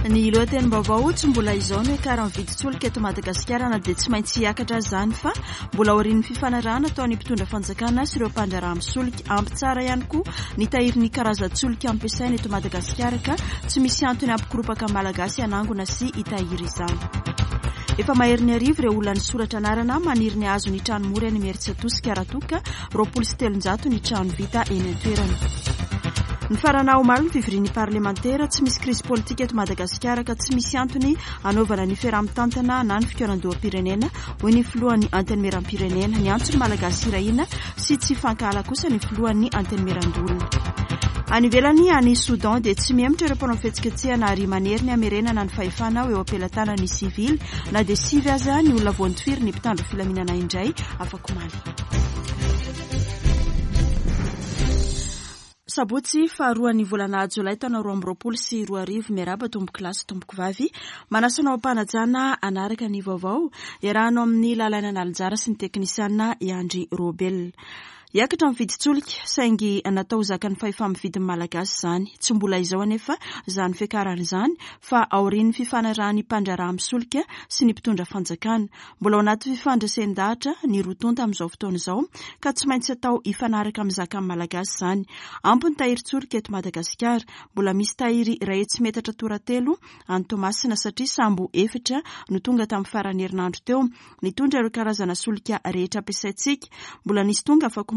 Ny lohatenim-baovao, tsy mbola izao no hiakaran'ny vidin-tsolika eto Madagasikara na dia tsy maintsy hiakatra aza izany fa mbola aorian'ny fifanarahana ataon'ny mpitondra fanjakana sy ireo mpandraharaha amin'ny solika. Ampy tsara ihany koa ny tahirin'ny karazan-tsolika ampiasaina eto Madagasikara ka tsy misy antony hampikoropaka ny Malagasy hanangona sy hitahiry izany. Efa maherin'ny arivo ireo olona nisoratra anarana maniry ny hahazo ny trano mora eny Imerintsiatosika raha toa ka 320 ny trano vita eny an-toerana. Nifarana omaly ny fivorian'ny parlemantera. Tsy misy krizy politika eto Madagasikara ka tsy misy antony hanaovana ny fiaraha-mitantana na ny fikaonandoham-pirenena, hoy ny filohan'ny Antenimierampirenena. Niantso ny Malagasy hirahina sy tsy hifankahala kosa ny filohan'ny Antenimierandoholona. Any ivelany, any Soudan, dia tsy mihemotra ireo mpanao fihetsiketsehana ary manery ny hamerenana ny fahefana ho eo am-pelatanan'ny sivily na dia sivy aza ny olona voantofirin'ny mpitandro filaminana indray afakomaly. Sabotsy faharoan'ny volana jolay taona 2022. Miarahaba tompoko lahy sy tompoko vavy. Manasa anao am-panajana hanaraka ny vaovao iarahanao amin'ny Lalaina Analanjara sy ny teknisiana i Andry Robel. Hiakatra ny vidin-tsolika, saingy natao ho zakan'ny fahefa-mividin'ny Malagasy izany. Tsy mbola izao anefa izany fiakarana izany fa aorian'ny fifanarahan'ny mpandraharaha amin'ny solika sy ny mpitondra fanjakana. Mbola ao anaty fifandresen-dahatra ny roa tonta amin'izao fotoana izao ka tsy maintsy atao hifanaraka amin'ny zakan'ny Malagasy izany. Ampy ny tahirin-tsolika eto Madagasikara. Mbola misy tahiry 100 metatra toratelo any Toamasina satria sambo efatra no tonga tamin'ny faran'ny herinandro teo nitondra ireo karazana solika rehetra ampiasaintsika. Mbola nisy tonga afakomaly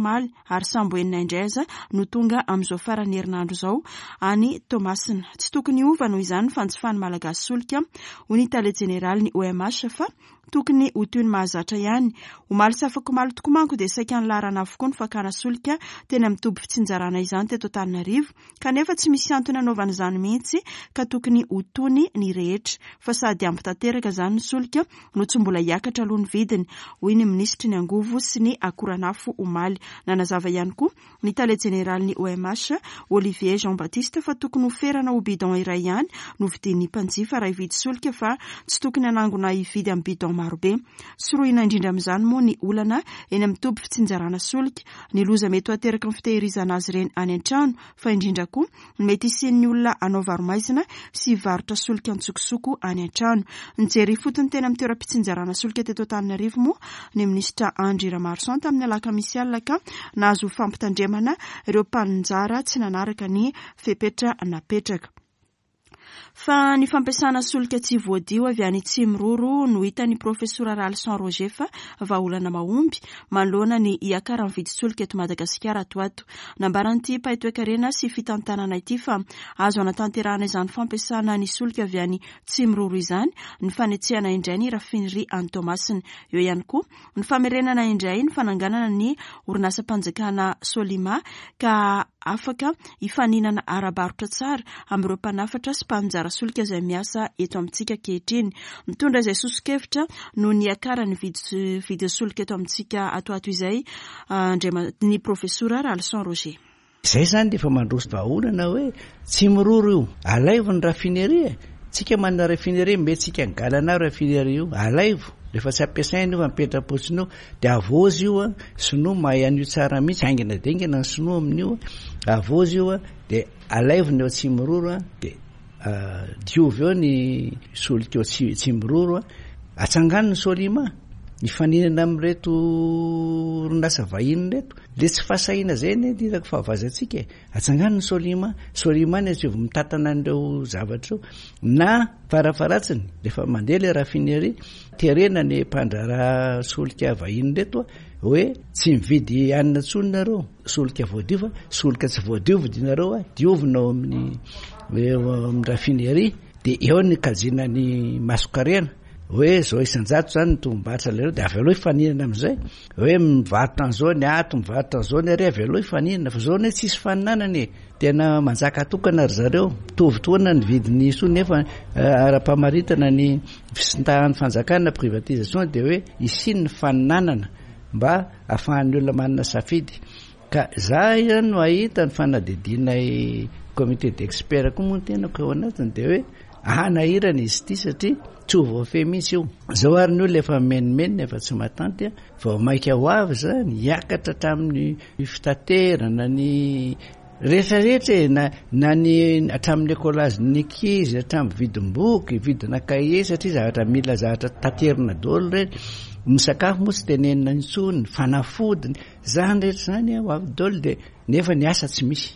ary sambo enina indray aza no tonga amin'izao faran'ny herinandro izao any Toamasina. Tsy tokony hiova noho izany ny fanjifan'ny Malagasy solika, hoy ny tale jeneralin'ny OMH fa tokony ho toy ny mahazatra ihany. Omaly sy afakomaly tokoa manko dia saika nilaharana avokoa ny fakana solika teny amin'ny toby fitsinjarana izany teto Antananarivo kanefa tsy misy antony hanaovana izany mihitsy ka tokony ho tony ny rehetra fa sady ampy tanteraka izany ny solika no tsy mbola hiakatra aloha ny vidiny, hoy ny minisitry ny angovo sy ny akoranafo omaly. Nanazava ihany koa ny tale jeneralin'ny OMH, Olivier Jean Baptiste fa tokony ho ferana ho bidon iray ihany no vidian'ny mpanjifa raha hividy solika fa tsy tokony hanangona hividy amin'ny bidon marobe. Sorohina indrindra amin'izany moa ny olana eny amin'ny toby fitsinjarana solika, ny loza mety ho ateraky ny fitehirizana azy ireny any an-trano fa indrindra koa ny mety hisian'ny olona hanao varo-maizina sy hivarotra solika an-tsokosoko any an-trano. Nijery ifotony teny amin'ny toeram-pitsinjarana solika teto Antananarivo moa ny minisitra Andry Ramaroson tamin'ny alakamisy alina ka nahazo fampitandremana ireo mpaninjara tsy nanaraka ny fepetra napetraka. Fa ny fampiasana solika tsy voadio avy any Tsimiroro no hitan'ny Profesora Ralison Roger fa vahaolana mahomby manoloana ny hiakaran'ny vidin-tsolika eto Madagasikara ato ho ato. Nambaran'ity mpahay toekarena sy fitantanana ity fa azo anatanterahana izany fampiasana ny solika avy any Tsimiroro izany ny fanetsehana indray ny raffinerie any Toamasina. Eo ihany koa ny famerenana indray ny fananganana ny orinasam-panjakana Solima ka afaka hifaninana ara-barotra tsara amin'ireo mpanafatra sy mpaninjara solika izay miasa eto amintsika ankehitriny. Mitondra izay soso-kevitra noho ny hiakaran'ny vidin'ny solika eto amintsika ato ho ato izay ny Profesora Ralison Roger. Izay izany dia efa mandroso vahaolana hoe tsy miroro io, alaivo ny raffinerie e! Tsika manana raffinerie, omentsika ny galana raffinerie io, alaivo, rehefa tsy ampiasaina io fa mipetra-potsiny eo, dia avozy io an, sinoa mahay an'io tsara mihitsy, haingana dia haingana ny sinoa amin'io an, avozy io an, dia alaivo ny ao Tsimiroro an, dia diovy eo ny solika ao Tsimiroro an, atsangano ny Solima, hifaninana amin'ireto orinasa vahiny ireto. Le tsy fahasahiana zay anie ny hitako fahavaizantsika e. Atsangano ny Solima, Solima ny asaivo mitantana an'ireo zavatra ireo. Na farafaharatsiny, rehefa mandeha le raffinerie, terena ny mpandraharaha solika vahiny ireto hoe tsy mividy hanina intsony nareo, solika voadio fa solika tsy voadio vidinareo, diovina ao amin'ny amin'ny raffinerie, dia eo ny kajiana ny masonkarena. Hoe zao isan-jato zany ny tombom-barotra alainao dia avy aloha hifaninana amin'izay. Hoe mivarotra an'izao ny ato, mivarotra an'izao ny ary, avy aloha hifaninana. Fa zao anie tsisy faninanana e. Tena manjaka tokana ry zareo. Mitovy toana ny vidin'ny soa nefa ara-pamaritana ny fisintahan'ny fanjakana privatisation dia hoe hisian'ny faninanana mba ahafahan'ny olona manana safidy. Ka za ihany no ahita ny fanadihadianay comité d'expert koa moa ny tenako eo anatiny dia hoe hanahirana izy ity satria tsy ho voafehy mihitsy io. Zao ary ny olona efa mimenomenona efa tsy matanty vao maika ho avy zany hiakatra hatramin'ny fitaterana ny Rehetra rehetra e, na na ny hatramin'ny écolage-n'ny ankizy, hatramin'ny vidim-boky, vidina cahier satria zavatra mila zavatra taterina daholo ireny. Ny sakafo moa tsy tenenina intsony, ny fanafodiny, izany rehetra izany ho avy daholo dia nefa ny asa tsy misy.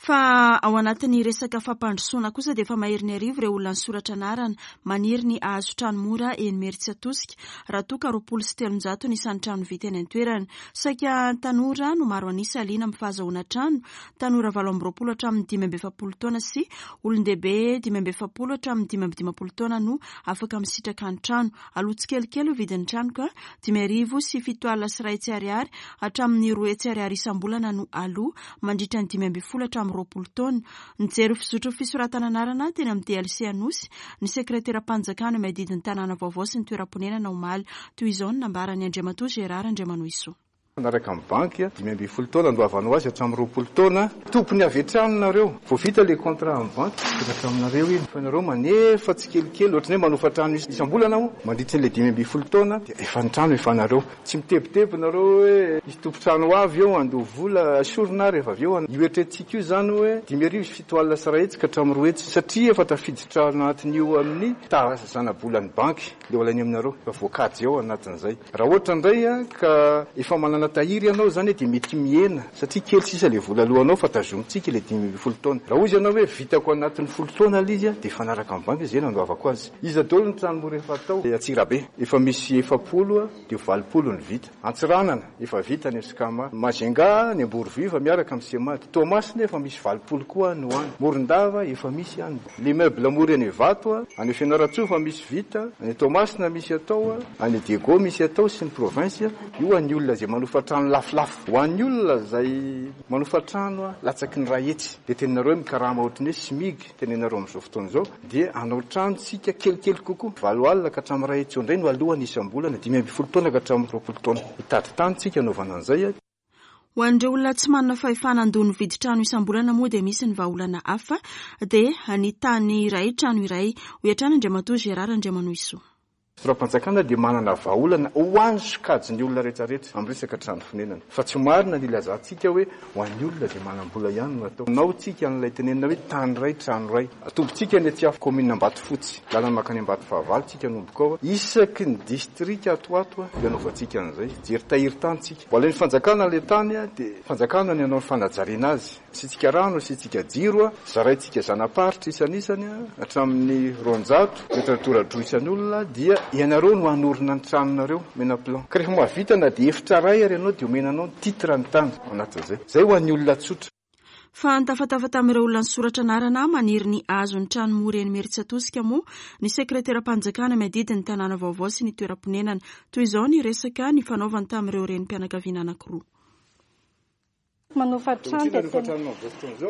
Fa ao anatin'ny resaka fampandrosoana kosa dia efa maherin'ny arivo ireo olona nisoratra anarana maniry ny hahazo trano mora eny Imerintsiatosika raha toa ka 320 ny isan'ny trano vita eny an-toerana. Saika tanora no maro an'isa liana amin'ny fahazahoana trano, tanora 28 hatramin'ny 45 taona sy olon-dehibe 45 hatramin'ny 55 taona no afaka misitraka ny trano. Aloha tsikelikely io vidin'ny trano ka 1705 ariary hatramin'ny 200 ariary isam-bolana no aloa mandritra ny 15 hatramin'ny 20 taona. Nijery fizotry ny fisoratana anarana teny amin'ny DLC Anosy ny sekreteram-panjakana miadidy ny tanàna vaovao sy ny toeram-ponenana omaly. Toy izao no nambaran'i Andriamatoa Gérard Andriamanohisoa. Miaraka amin'ny banky, 15 taona andoavanao azy hatramin'ny 20 taona. Tompony avy hatrany nareo. Vao vita ilay contrat amin'ny banky, mipetraka aminareo iny. Fa nareo manefa tsikelikely, ohatran'ny hoe manofa trano isam-bolana moa, mandritra an'ilay 15 taona, dia efa ny trano efa anareo. Tsy mitebiteby nareo hoe hisy tompon-trano ho avy eo handoa vola, esorina ary rehefa avy eo. Io eritreretintsika io izany hoe 1705 ka hatramin'ny 200, satria efa tafiditra anatin'io amin'ny taha zana-bolan'ny banky ilay ho alainy aminareo, efa voakajy ao anatin'izay. Raha ohatra indray ka efa manana tahiry ianao izany dia mety mihena satria kely sisa ilay vola alohanao fa tazomintsika ilay 15 taona. Raha hozy ianao hoe vitako anatin'ny folo taona ilay izy dia hifanaraka amin'ny banky izay nandoavako azy. Iza daholo ny trano mora efa atao? Antsirabe, efa misy 40 dia 80 ny vita. Antsiranana, efa vita ny Escama. Majunga, ny Amborovy efa miaraka amin'ny Semad. Toamasina efa misy 80 koa any ho any. Morondava efa misy any. L'immeuble mora eny Ivato, any Fianarantsoa efa misy vita, any Toamasina misy atao, any Diego misy atao sy ny province, io an'ny olona izay manofa trano lafolafo. Ho an'ny olona izay manofa trano latsaky ny 100 dia teninareo hoe mikarama ohatran'ny hoe smig tenenareo amin'izao fotoana izao dia hanao trano tsika kelikely kokoa, 80 ka hatramin'ny 100 eo indray no alohany isam-bolana, 15 taona ka hatramin'ny 20 taona. Hitady tany tsika hanaovana an'izay. Ho an'ireo olona tsy manana fahefana handoa ny vidin-trano isam-bolana moa dia misy ny vahaolana hafa dia ny tany iray trano iray, hoy hatrany Andriamatoa Gérard Andriamanohisoa. Fitondram-panjakana dia manana vahaolana ho an'ny sokajin'ny olona rehetrarehetra amin'ny resaka trano fonenana. Fa tsy marina ny ilazantsika hoe ho an'ny olona izay manam-bola ihany no atao. Nao tsika an'ilay tenenina hoe tany iray trano iray. Atombontsika ny aty kaominina Ambatofotsy, lalana mankany Ambatofahavalo tsika hanomboka ao. Isaky ny distrika ato ho ato dia anaovantsika an'izay. Hijery tahirin-tany tsika. Vao alain'ny fanjakana ilay tany dia fanjakana ny hanao ny fanajariana azy. Asiantsika rano, asiantsika jiro, zaraintsika zana-paritra isan'isany hatramin'ny 200 metatra tora-droa isan'olona dia ianareo no hanorina ny tranonareo, omena plan. Ka rehefa mahavita na dia efitra iray ary ianao dia omena anao ny titre ny tany ao anatin'izay. Izay ho an'ny olona tsotra. Fa nitafatafa tamin'ireo olona nisoratra anarana maniry ny hahazo ny trano mora eny Imerintsiatosika moa ny sekreteram-panjakana miadidy ny tanàna vaovao sy ny toeram-ponenana. Toy izao ny resaka nifanaovany tamin'ireo renim-pianakaviana anankiroa. Manofa trano dia tena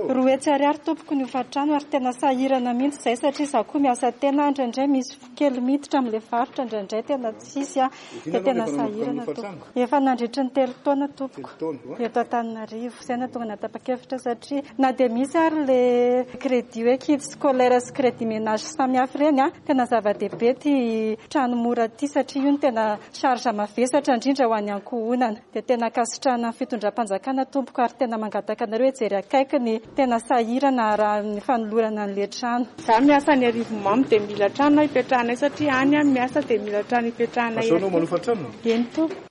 200 ariary tompoko ny hofantrano ary tena sahirana mihitsy izay satria izaho koa miasa tena indraindray misy kely miditra amin'ilay varotra indraindray tena tsisy dia tena sahirana tompoko. Efa nandritry ny telo taona tompoko eto Antananarivo. Izay no nahatonga nanapa-kevitra satria na dia misy ary ilay crédit hoe kit scolaire sy crédit ménage samihafa ireny, tena zava-dehibe ity trano mora ity satria io no tena charge mavesatra indrindra ho an'ny ankohonana. Dia tena ankasitrahana ny fitondram-panjakana tompoko ary tena mangataka anareo hijery akaiky ny tena sahirana raha ny fanolorana an'ilay trano. Za miasa any Arivonimamo dia mila trano hipetrahanay satria any aho miasa dia mila trano hipetrahanay aty. Eny tompoko.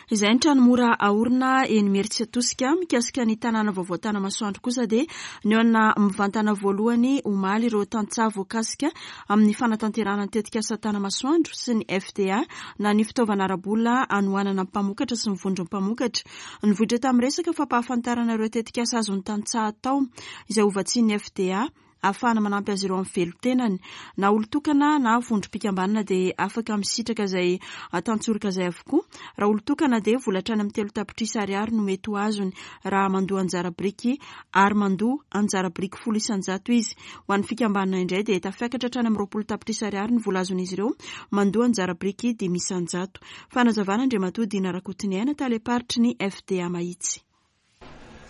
Izay ny trano mora aorina eny Imerintsiatosika. Mikasika ny tanàna vaovao Tanamasoandro kosa dia nihaona mivantana voalohany omaly ireo tantsaha voakasika amin'ny fanatanterahana ny tetikasa Tanamasoandro sy ny FDA na ny fitaovana ara-bola hanohanana ny mpamokatra sy ny vondron'ny mpamokatra. Nivoitra tamin'ny resaka fampahafantarana ireo tetikasa azon'ny tantsaha atao izay hovatsian'ny FDA ahafahana manampy azy ireo amin'ny velon-tenany. Na olon-tokana na vondrom-pikambanana dia afaka misitraka izay tantsoroka izay avokoa. Raha olon-tokana dia vola hatrany amin'ny 3 tapitrisa ariary no mety ho azony raha mandoa anjara biriky ary mandoa anjara biriky 10% izy. Ho an'ny fikambanana indray dia tafiakatra hatrany amin'ny 20 tapitrisa ariary ny vola azon'izy ireo mandoa anjara biriky 5%. Fanazavana Andriamatoa Dina Rakotoniaina, talem-paritry ny FDA Mahitsy.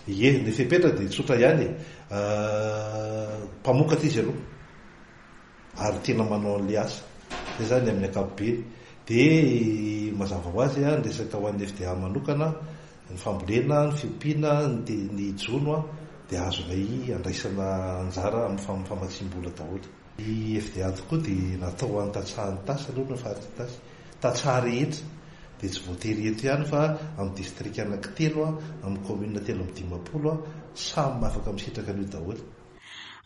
Ie, ny fepetra dia tsotra ihany e. Mpamokatra izy aloha ary tena manao an'ilay asa. Izay izany amin'ny ankapobeny. Dia mazava ho azy ny resaka ho an'ny FDA manokana, ny fambolena, ny fiompiana, ny jono. dia azonay andraisana anjara amin'ny famatsiam-bola daholo. Ny FDA tokoa dia natao ho an'ny tantsaha Itasy aloha na faritra Itasy. Tantsaha rehetra dia tsy voatery eto ihany fa amin'ny distrika anankitelo, amin'ny commune 53, samy afaka misitraka an'io daholo.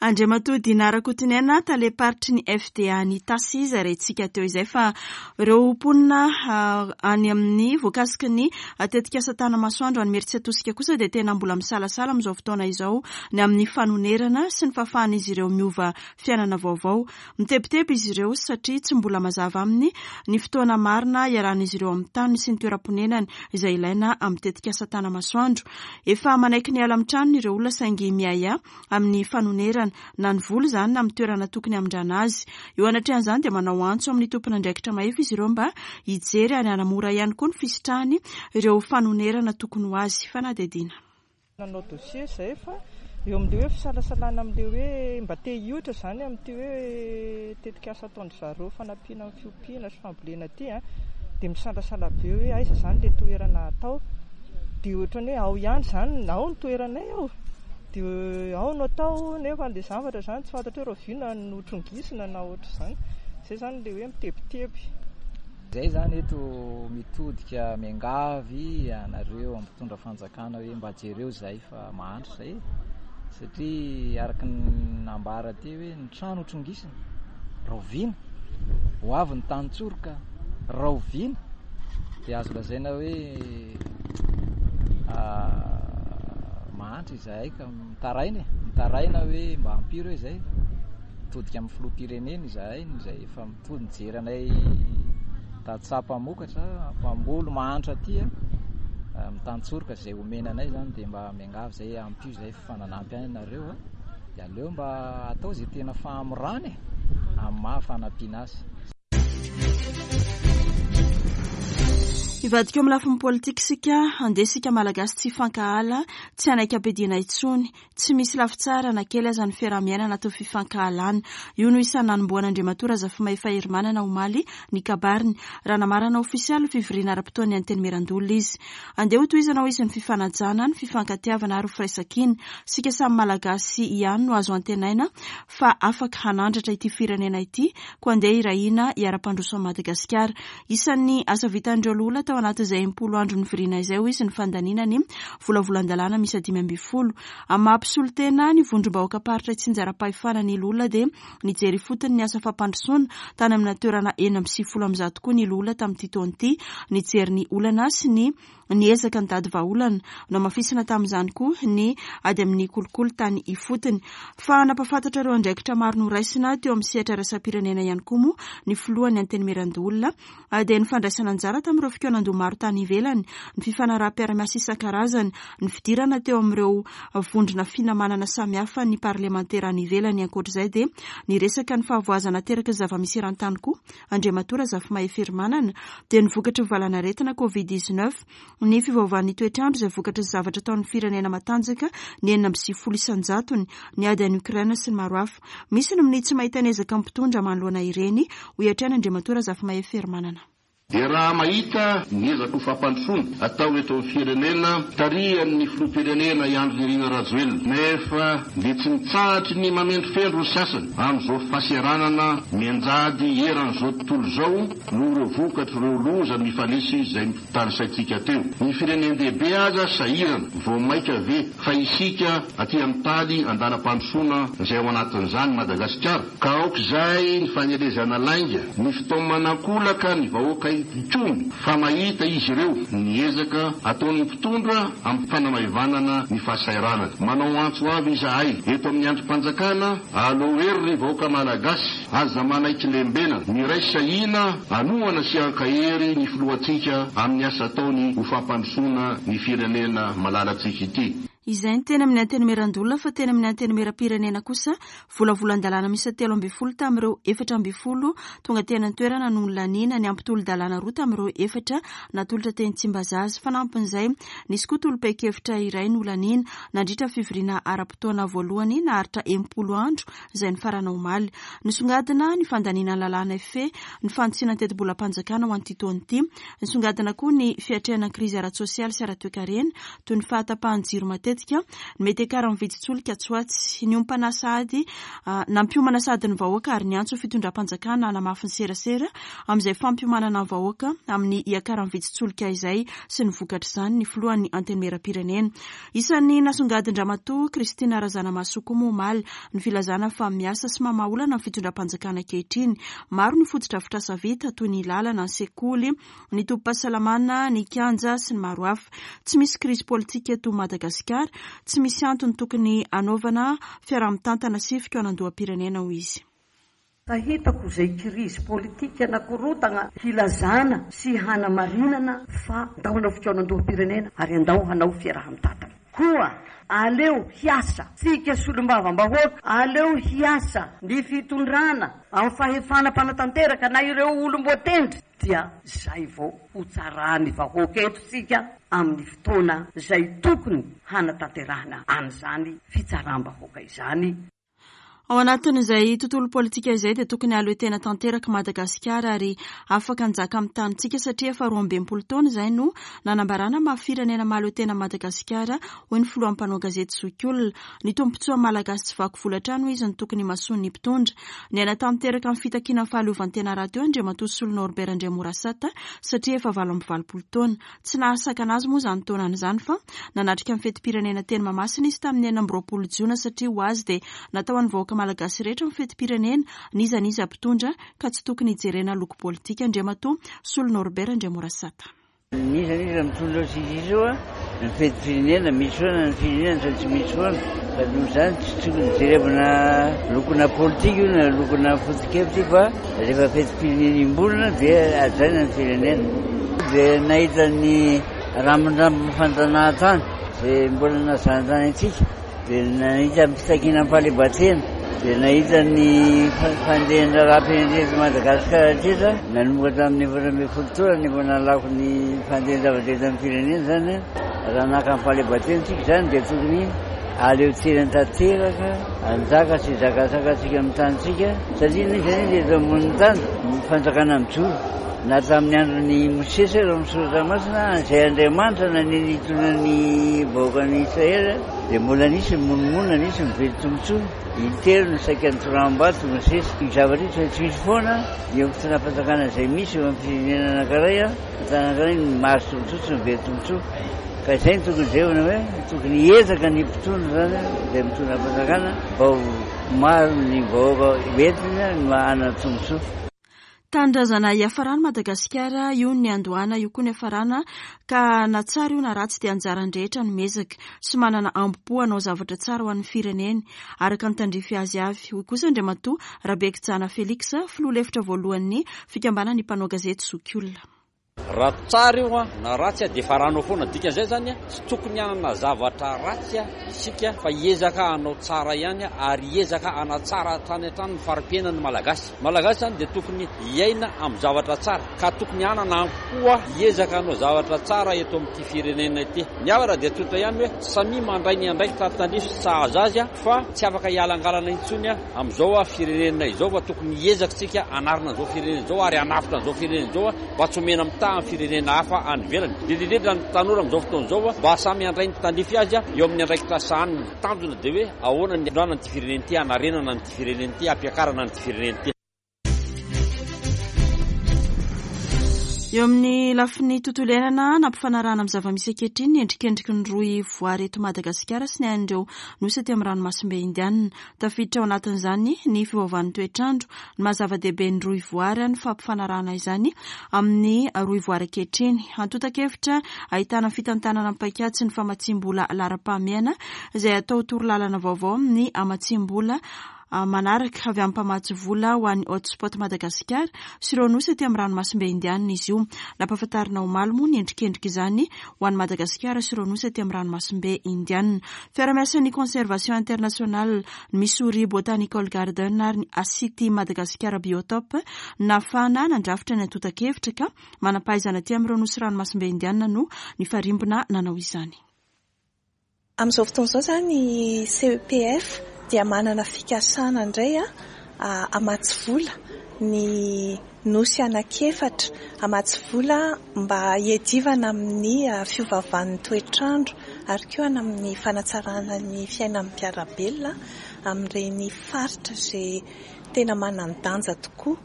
Andriamatoa Dina Rakotoniaina, talem-paritry ny FDA any Itasy izay rentsika teo izay fa ireo mponina any amin'ny voakasiky ny tetikasa Tanamasoandro any Imerintsiatosika kosa dia tena mbola misalasala amin'izao fotoana izao ny amin'ny fanonerana sy ny fahafahan'izy ireo miova fiainana vaovao. Mitebiteby izy ireo satria tsy mbola mazava aminy ny fotoana marina hiarahan'izy ireo amin'ny taniny sy ny toeram-ponenany izay ilaina amin'ny tetikasa Tanamasoandro. Efa manaiky ny hiala amin'ny tranony ireo olona saingy miahiahy amin'ny fanonerana na ny vola izany na amin'ny toerana tokony hamindrana azy. Eo anatrehan'izany dia manao antso amin'ny tompon'andraikitra mahefa izy ireo mba hijery ary hanamora ihany koa ny fisitrahany ireo fanonerana tokony ho azy. Fanadihadiana. Nanao dossier izay fa eo amin'ilay hoe fisalasalana amin'ilay hoe mba te hioitra izany amin'ity hoe tetikasa ataon-dry zareo fanampiana amin'ny fiompiana sy fambolena ity an, dia misalasala be hoe aiza izany ilay toerana atao. Dia ohatran'ny hoe ao ihany izany, ao ny toeranay ao. Dia ao no atao nefa ilay zavatra izany tsy fantatra hoe rahoviana no trongisina na ohatr'izany. Izay izany ilay hoe mitebiteby. Izay izany eto mitodika miangavy anareo mpitondra fanjakana hoe mba jereo izahay fa mahantra izahay e. Satria araka ny nambara teo hoe ny trano ho trongisina, rahoviana? Ho avy ny tany tsoroka, rahoviana? Dia azo lazaina hoe mahantra izahay ka mitaraina e, mitaraina hoe mba ampio ireo izay. Mitodika amin'ny filoham-pirenena izahay izay efa mitody mijery anay tantsaha mpamokatra, mpamboly mahantra aty, mitantsoroka izay omena anay izany dia mba miangavy izay ampio izay fa nanampy ahy nareo dia aleo mba atao izay tena fahamorana e, amin'ny maha fanampiana azy. Hivadika eo amin'ny lafiny politika isika, andeha isika Malagasy tsy hifankahala, tsy hanaiky ampiadiana intsony. Tsy misy lafy tsara na kely aza ny fiaraha-miaina anatin'ny fifankahalana. Io no isan'ny nanombohan'Andriamatoa Razafimahefa Herimanana omaly ny kabariny, raha namarana ofisialy ny fivoriana ara-potoan'ny Antenimierandoholona izy. Andeha hotohizana hoy izy ny fifanajana, ny fifankatiavana ary ho firaisankina. Isika samy Malagasy ihany no azo antenaina fa afaka hanandratra ity firenena ity koa andeha hirahina hiara-pandroso an'i Madagasikara. Isan'ny asa vitan'ireo loholona tao anatin'izay 60 andro nivoriana izay hoy izy ny fandaniana ny volavolan-dalàna miisa 15. Amin'ny maha mpisolo tena ny vondrom-bahoakam-paritra itsinjaram-pahefana ny loholona dia nijery ifotony ny asa fampandrosoana tany amina toerana 196 koa ny loholona tamin'ity taona ity nijery ny olana sy ny Niezaka nitady vahaolana. Nohamafisina tamin'izany koa ny ady amin'ny kolikoly tany ifotony. Fa nampahafantatra ireo andraikitra maro noraisina teo amin'ny sehatra iraisam-pirenena ihany koa moa ny filohan'ny Antenimierandoholona dia ny fandraisana anjara tamin'ireo fikaonandoha maro tany ivelany, ny fifanaraham-piarahamiasa isan-karazany, ny fidirana teo amin'ireo vondrona finamanana samihafa ny parlemantera any ivelany. Ankoatra izay dia niresaka ny fahavoazana ateraky ny zava-misy eran-tany koa Andriamatoa Razafimahefa-Herimanana, dia ny vokatry ny valan'aretina Covid 19, ny fiovaovan'ny toetr'andro izay vokatry ny zavatra ataon'ny firenena matanjaka ny 96 isan-jatony, ny ady any Ukraine sy ny maro hafa. Misy ny minia tsy mahita ny ezaka mpitondra manoloana ireny, hoy hatrany Andriamatoa Razafimahefa-Herimanana. Dia raha mahita ny ezaka ho fampandrosoana atao eto amin'ny firenena tarihan'ny filoham-pirenena i Andry Nirina Rajoelina nefa dia tsy mitsahatry ny mamendrofendro ny sasany amin'izao fahaseranana mianjady eran'izao tontolo izao noho ireo vokatr'ireo loza mifanesy izay tanisaintsika teo. Ny firenen-dehibe aza sahirana, vao maika ve fa isika aty amin'ny taly andalam-pandrosoana izay ao anatin'izany Madagasikara? Ka aoka izay ny fanelezana lainga, ny fitaomana ankolaka ny vahoaka hikomy fa mahita izy ireo ny ezaka ataon'ny mpitondra amin'ny fanamaivanana ny fahasahiranana. Manao antso avo izahay eto amin'ny andrim-panjakana, aleo hery ry vahoaka Malagasy, aza manaiky lembenana, miraisa hina hanohana sy hankahery ny filohantsika amin'ny asa ataony ho fampandrosoana ny firenena malalantsika ity. Izay ny teny amin'ny Antenimierandoholona fa teny amin'ny Antenimierampirenena kosa volavolan-dalàna miisa 13 tamin'ireo 14 tonga teny an-toerana no nolaniana, niampy tolo-dalàna roa tamin'ireo efatra natolotra teny Tsimbazaza. Fanampin'izay, nisy koa tolo-pehin-kevitra iray nolaniana nandritra ny fivoriana ara-potoana voalohany naharitra 60 andro izay nifarana omaly. Nisongadina ny fandaniana ny lalàna hifehy ny fanitsiana ny tetibolam-panjakana ho an'ity taona ity. Nisongadina koa ny fiatrehana ny krizy ara-tsosialy sy ara-toekarena toy ny fahatapahan'ny jiro matetika. matetika ny mety hiakaran'ny vidin-tsolika atsy ho atsy. Niompana sahady nampiomana sahady ny vahoaka ary niantso fitondram-panjakana hanamafy ny serasera amin'izay fampiomanana ny vahoaka amin'ny hiakaran'ny vidin-tsolika izay sy ny vokatr'izany ny filohan'ny Antenimierampirenena. Isan'ny nasongadin-dRamatoa Christine Razanamahasoa koa moa omaly ny filazana fa miasa sy mamaha olana ny fitondram-panjakana ankehitriny. Maro ny fotodrafitrasa vita toy ny lalana, ny sekoly, ny tobim-pahasalamana, ny kianja sy ny maro hafa. Tsy misy krizy politika eto Madagasikara, tsy misy antony tokony hanaovana fiaraha-mitantana sy fikaonandoham-pirenena, hoy izy. Ka hitako izay krizy politika na korontagna hilazana sy hanamarinana fa ndao hanao fikaonandoham-pirenena ary andao hanao fiaraha-mitantana. Koa aleo hiasa tsika solombavambahoaka, aleo hiasa ny fitondrana amin'ny fahefana mpanatanteraka na ireo olom-boatendry dia zay vao ho tsaran'ny vahoaka eto tsika amin'ny fotoana zay tokony hanatanterahana an'izany fitsaram-bahoaka izany. Ao anatin'izay tontolo politika izay dia tokony hahaleo tena tanteraka Madagasikara ary afaka hanjaka amin'ny tanintsika satria efa 62 taona izay no nanambarana maha firenena mahaleo tena Madagasikara hoy ny filohan'ny mpanao gazety zokiolona. Ny tombontsoa malagasy tsy vaky vola hatrany hoy izy no tokony himasoan'ny mpitondra. Niaina tanteraka ny fitakiana ny fahaleovantena rahateo Andriamatoa Solo Norbert Andriamorasata satria efa 88 taona. Tsy nahasakana azy moa izany taonany izany fa nanatrika ny fetim-pirenena teny Mahamasina izy tamin'ny 26 jona satria ho azy dia natao an'ny vahoaka malagasy rehetra ny fetim-pirenena, n'iza n'iza mpitondra, ka tsy tokony hijerena loko politika Andriamatoa Solo Norbert Andriamorasata. N'iza n'iza mitondra eo tsisy izy eo ny fetim-pirenena, misy foana ny firenena fa tsy misy foana, ka noho izany tsy tokony jerevana lokona politika io na lokona foto-kevitra io fa rehefa fetim-pirenena iombonana dia hajaina ny firenena. Dia nahita ny rambondrambon'ny fanjanahantany izay mbola nazanjany antsika, dia nahita ny fitakiana ny fahaleovantena, dia nahita ny fandehan'ny raharaham-pirenena eto Madagasikara hatreto, nanomboka tamin'ny 14 taona no efa nahalako ny fandehan-javatra eto amin'ny firenena izany. Raha naka ny fahaleovantena isika izany dia tokony hahaleo tena tanteraka, hanjaka sy hizakazaka antsika amin'ny tanintsika, satria n'inona n'inona eto ambonin'ny tany, ny fanjakana mijoro. Na tamin'ny andron'i Mosesy ary ao amin'ny Soratra Masina, izay Andriamanitra nanendry hitondra ny vahoakan'i Israely, dia mbola nisy ny monomonona, nisy ny very tombontsoa. Intelo no saika nitoraham-bato Mosesy. Io zavatra io tsy maintsy misy foana eo amin'ny fitondram-panjakana izay misy eo amin'ny firenena anankiray, tany anankiray ny mahazo tombontsoa sy ny very tombontsoa. Ka izay no tokony jerevana hoe tokony hiezaka ny mpitondra izany, izay mitondra fanjakana, mba ho maro ny vahoaka entiny no hanana tombontsoa. Tanindrazana hiafarany Madagasikara, io ny niandohana, io koa ny hiafarana, ka na tsara io na ratsy dia anjaran'ny rehetra no miezaka sy manana ambo-po hanao zavatra tsara ho an'ny fireneny, araka ny tandrify azy avy, hoy kosa Andriamatoa Rabekijana Felix, filoha lefitra voalohan'ny fikambanan'ny mpanao gazety zokiolona. Raha tsara io na ratsy dia efa ranao foana. Dikan'izay izany tsy tokony hanana zavatra ratsy isika fa hiezaka hanao tsara ihany ary hiezaka hanatsara hatrany hatrany ny fari-piainan'ny Malagasy. Ny Malagasy izany dia tokony hiaina amin'ny zavatra tsara ka tokony hanana ampo hiezaka hanao zavatra tsara eto amin'ity firenena ity. Ny havana dia tsotra ihany hoe samia mandray ny andraikitra tandrify sy sahaza azy fa tsy afaka hialangalana intsony amin'izao firenena izao fa tokony hiezaka isika hanarina an'izao firenena izao ary hanavotra an'izao firenena izao mba tsy homena mitaha amin'ny firenena hafa any ivelany, indrindra indrindra ny tanora amin'izao fotoana izao mba samy handray ny tandrify azy eo amin'ny andraikitra sahaniny. Tanjona dia hoe ahoana ny hamondrana an'ity firenena ity, hanarenana an'ity firenena ity, hampiakarana an'ity firenena ity. Eo amin'ny lafiny tontolo iainana, nampifanarahana amin'ny zava-misy ankehitriny ny endrikendriky ny rohy voary eto Madagasikara sy ny an'ireo nosy aty amin'ny ranomasimbe Indianina. Tafiditra ao anatin'izany ny fiovaovan'ny toetr'andro, ny maha zava-dehibe ny rohy voary, ny fampifanarahana izany amin'ny rohy voary ankehitriny. Antontan-kevitra ahitana fitantanana paikady sy ny famatsiam-bola laharam-pahamehana izay atao torolalana vaovao amin'ny hamatsiam-bola manaraka avy amin'ny mpamatsy vola ho an'ny Hotspot Madagasikara sy ireo nosy aty amin'ny ranomasimbe Indianina izy io. Nampahafantarina omaly moa ny endrikendrika izany ho an'i Madagasikara sy ireo nosy aty amin'ny ranomasimbe Indianina. Fiarahamiasan'ny Conservation International, ny Missouri Botanical Garden ary ny Asity Madagasikara Biotope nahafahana nandrafitra ny antontan-kevitra ka manam-pahaizana aty amin'ireo nosy ranomasimbe Indianina no nifarimbona nanao izany. Amin'izao fotoana izao izany ny CEPF dia manana fikasana indray hamatsy vola ny nosy anankiefatra, hamatsy vola mba hiadivana amin'ny fiovaovan'ny toetr'andro. ary koa any amin'ny fanatsarana ny fiainan'ny mpiara-belona amin'ireny faritra izay tena manan-danja tokoa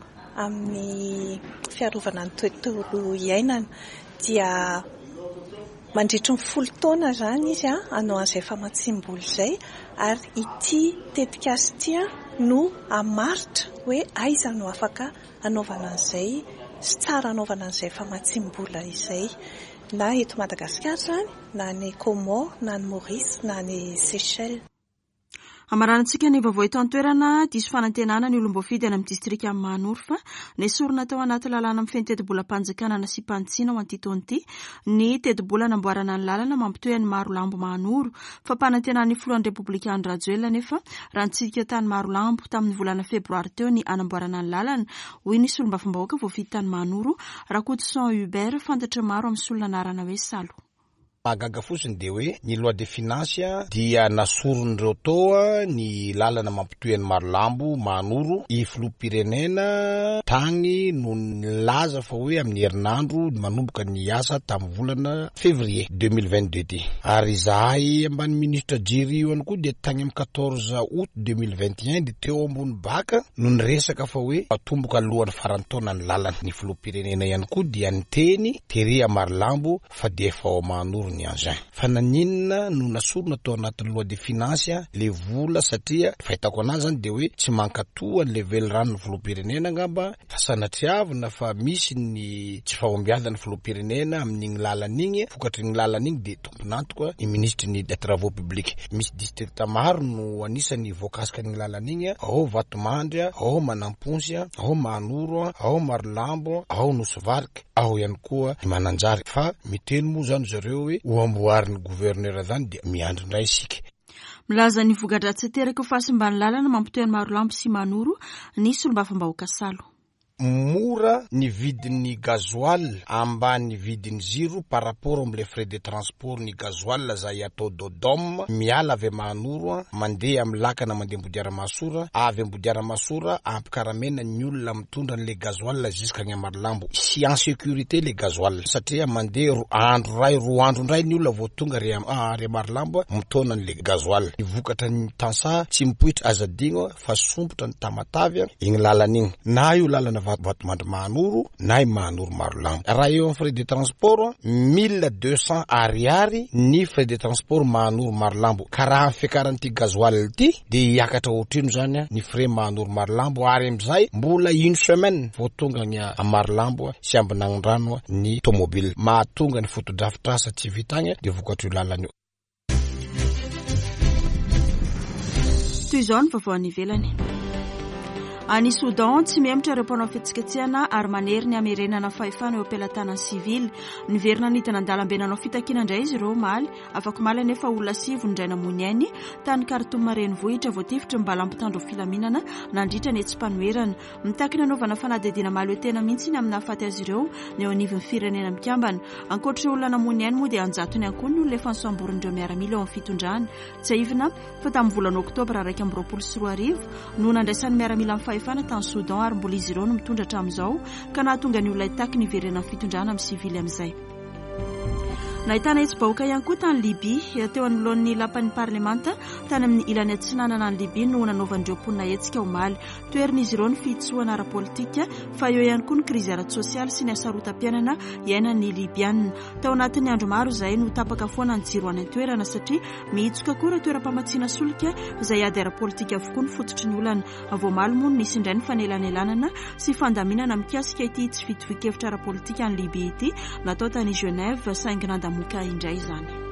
amin'ny fiarovana ny tontolo iainana dia mandritry ny folo taona izany izy hanao an'izay famatsiam-bola izay ary ity tetikasa ity no hamaritra hoe aiza no afaka hanaovana an'izay sy tsara hanaovana an'izay famatsiam-bola izay na eto Madagasikara izany na any Comores na any Maurice na any Seychelles. Hamaranantsika ny vaovao eto an-toerana, diso fanantenana ny olom-boafidy any amin'ny distrikan'i Mahanoro fa nesorina tao anaty lalàna mifehy ny tetibolam-panjakana nasiam-panitsiana ho an'ity taona ity ny tetibola namboarana ny lalana mampitohy an'i Marolambo Mahanoro. Fampanantenan'ny filohan'ny Repoblika Andry Rajoelina anefa raha nitsidika tany Marolambo tamin'ny volana febroary teo ny hanamboarana ny lalana, hoy ny solombavambahoaka voafidy tany Mahanoro, Rakotoson Hubert, fantatry ny maro amin'ny solon'anarana hoe Salo. Mahagaga fotsiny dia hoe ny loi de finance dia nasoron'ireo toa ny lalana mampitohy an'i Marolambo Mahanoro i filoham-pirenena tagny no nilaza fa hoe amin'ny herinandro manomboka ny asa tamin'ny volana février 2022 ty. Ary izahay ambany ministre Jerry io ihany koa dia tagny amin'ny 14 août 2021 dia teo ambony bac no niresaka fa hoe atomboka alohan'ny faran'ny taona ny lalana. Ny filoham-pirenena ihany koa dia niteny tery à Marolambo fa dia efa ao Mahanoro ny engin. Fa naninona no nasorina tao anatin'ny loi de finance le vola satria fahitako anazy zany dia hoe tsy mankatoa an'le veliranon'ny filoham-pirenena angamba fa sanatriavina fa misy ny tsy fahombiazan'ny filoham-pirenena amin'igny lalana igny, vokatr'igny lalana igny dia tompon'antoka ny minisitry ny travaux publics. Misy district maro no anisany voakasika an'igny lalana igny, ao Vatomandry, ao Manampontsy, ao Mahanoro, ao Marolambo, ao Nosy Varika. Ao ihany koa i Mananjary. Fa miteny moa zany zareo hoe ho amboarin'ny gouverneur zany dia miandry indray isika. Milaza ny voka-dratsy ateraky ny fahasimban'ny lalana mampitohy an'i Marolambo sy Manoro ny solombavambahoaka Salo. Mora ny vidin'ny gasoil ambany vidin'ny jiro par rapport amle frais de transport ny gasoil zay atao dodom miala avy Mahanoro mandeha am lakana mandeha Ambodiaramahasoa avy Ambodiaramahasoa ampikaramena ny olona mitondra anle gasoil jusqu'agny Marolambo sy en sécurité le gasoil satria mandeha ro andro ray roa andro ndray ny olona vao tonga re re Marolambo mitaona anle gasoil ny vokatra ny tansaha tsy mipoitra aza adigno fa sompotra ny Tamatave igny lalana igny na io lalana Vatomandry Mahanoro na i Mahanoro Marolambo raha eo am frais de transport 1200 ariary ny frais de transport Mahanoro Marolambo ka raha ny fiakaran'ity gasoil ity dia hiakatra ohatrino zany ny frais Mahanoro Marolambo ary amizay mbola une semaine vao tonga agny a Marolambo sy Ambinagnondrano ny tomobile mahatonga ny fotodrafitrasa tsy vita agny dia vokatr'io lalana io. Toy izao ny vaovao any ivelany. Any Soudan, tsy mihemotra ireo mpanao fihetsiketsehana ary manery ny hamerenana fahefana eo am-pelatanan'ny sivily. Niverina nidina an-dalambe nanao fitakiana indray izy ireo omaly. Afakomaly anefa olona sivy no indray namoy ny ainy tany Khartoum renivohitra voatifitry ny bala mpitandro filaminana nandritra ny hetsi-panoherana. Mitaky ny hanaovana fanadihadiana mahaleo tena mihitsy ny amin'ny nahafaty azy ireo ny eo anivon'ny Firenena Mikambana. Ankoatra ireo olona namoy ny ainy moa dia an-jatony ihany koa ny olona efa nosamborin'ireo miaramila eo amin'ny fitondrana. Tsiahivina fa tamin'ny volana oktobra 2021 no nandraisan'ny miaramila ny fahefana tany Soudan ary mbola izy ireo no mitondra hatramin'izao ka nahatonga ny olona hitaky ny hiverenan'ny fitondrana amin'ny sivily amin'izay. Nahitana hetsi-bahoaka ihany koa tany Libya. Teo anoloan'ny lapan'ny parlemanta tany amin'ny ilany atsinanana any Libya no nanaovan'ireo mponina hetsika omaly. Toherin'izy ireo ny fihitsohana ara-politika fa eo ihany koa ny krizy ara-tsosialy sy ny hasarotam-piainana iainan'ny Libyana. Tao anatin'ny andro maro izay no tapaka foana ny jiro any an-toerana satria mihitsoka koa ireo toeram-pamatsiana solika izay ady ara-politika avokoa ny fototry ny olana. Vao omaly moa no nisy indray ny fanelanelanana sy fandaminana mikasika ity tsy fitovian-kevitra ara-politika any Libya ity natao tany Genève saingy nandamoka indray izany.